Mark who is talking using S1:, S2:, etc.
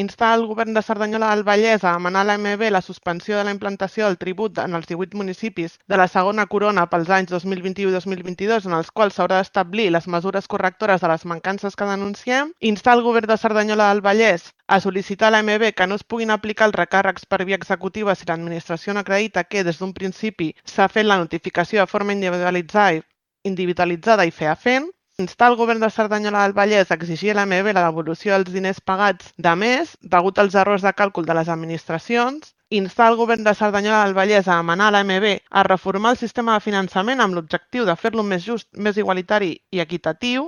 S1: Instar el govern de Cerdanyola del Vallès a demanar a l'AMB la suspensió de la implantació del tribut en els 18 municipis de la segona corona pels anys 2021 i 2022, en els quals s'haurà d'establir les mesures correctores de les mancances que denunciem. Instar el govern de Cerdanyola del Vallès a sol·licitar a l'AMB que no es puguin aplicar els recàrrecs per via executiva si l'administració no acredita que des d'un principi s'ha fet la notificació de forma individualitzada i fefaent. Instar el govern de Cerdanyola del Vallès a exigir a l'AMB la devolució dels diners pagats de mes degut als errors de càlcul de les administracions. Instar el govern de Cerdanyola del Vallès a demanar a l'AMB a reformar el sistema de finançament amb l'objectiu de fer-lo més just, més igualitari i equitatiu.